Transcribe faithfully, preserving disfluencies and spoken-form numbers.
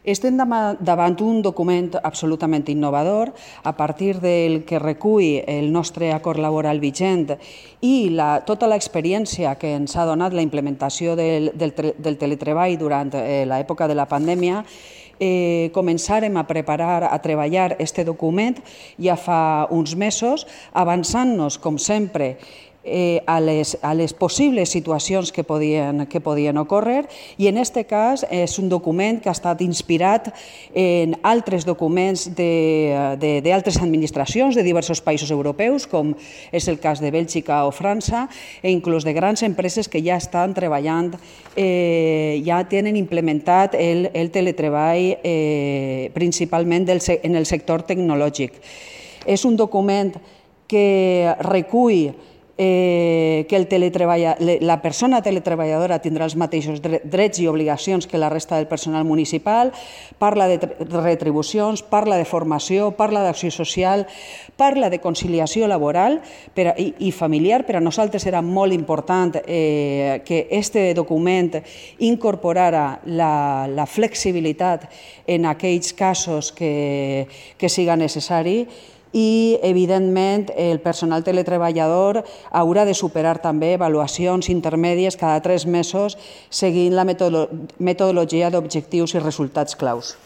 Estem davant d'un document absolutament innovador, a partir del que recull el nostre acord laboral vigent i la, tota l'experiència que ens ha donat la implementació del, del, del teletreball durant eh, l'època de la pandèmia. Eh, començarem a preparar, a treballar aquest document ja fa uns mesos, avançant-nos, com sempre, Eh, a, les, a les possibles situacions que podien, que podien ocórrer, i en aquest cas és un document que ha estat inspirat en altres documents d'altres administracions de diversos països europeus, com és el cas de Bèlgica o França, e inclús de grans empreses que ja estan treballant, eh, ja tenen implementat el, el teletreball eh, principalment del, en el sector tecnològic. És un document que recull Eh, que el la persona teletreballadora tindrà els mateixos drets i obligacions que la resta del personal municipal, parla de retribucions, parla de formació, parla d'acció social, parla de conciliació laboral per a, i, i familiar. Per a nosaltres era molt important eh, que aquest document incorporara la, la flexibilitat en aquells casos que, que siga necessari, i, evidentment, el personal teletreballador haurà de superar també avaluacions intermèdies cada tres mesos seguint la metodologia d'objectius i resultats claus.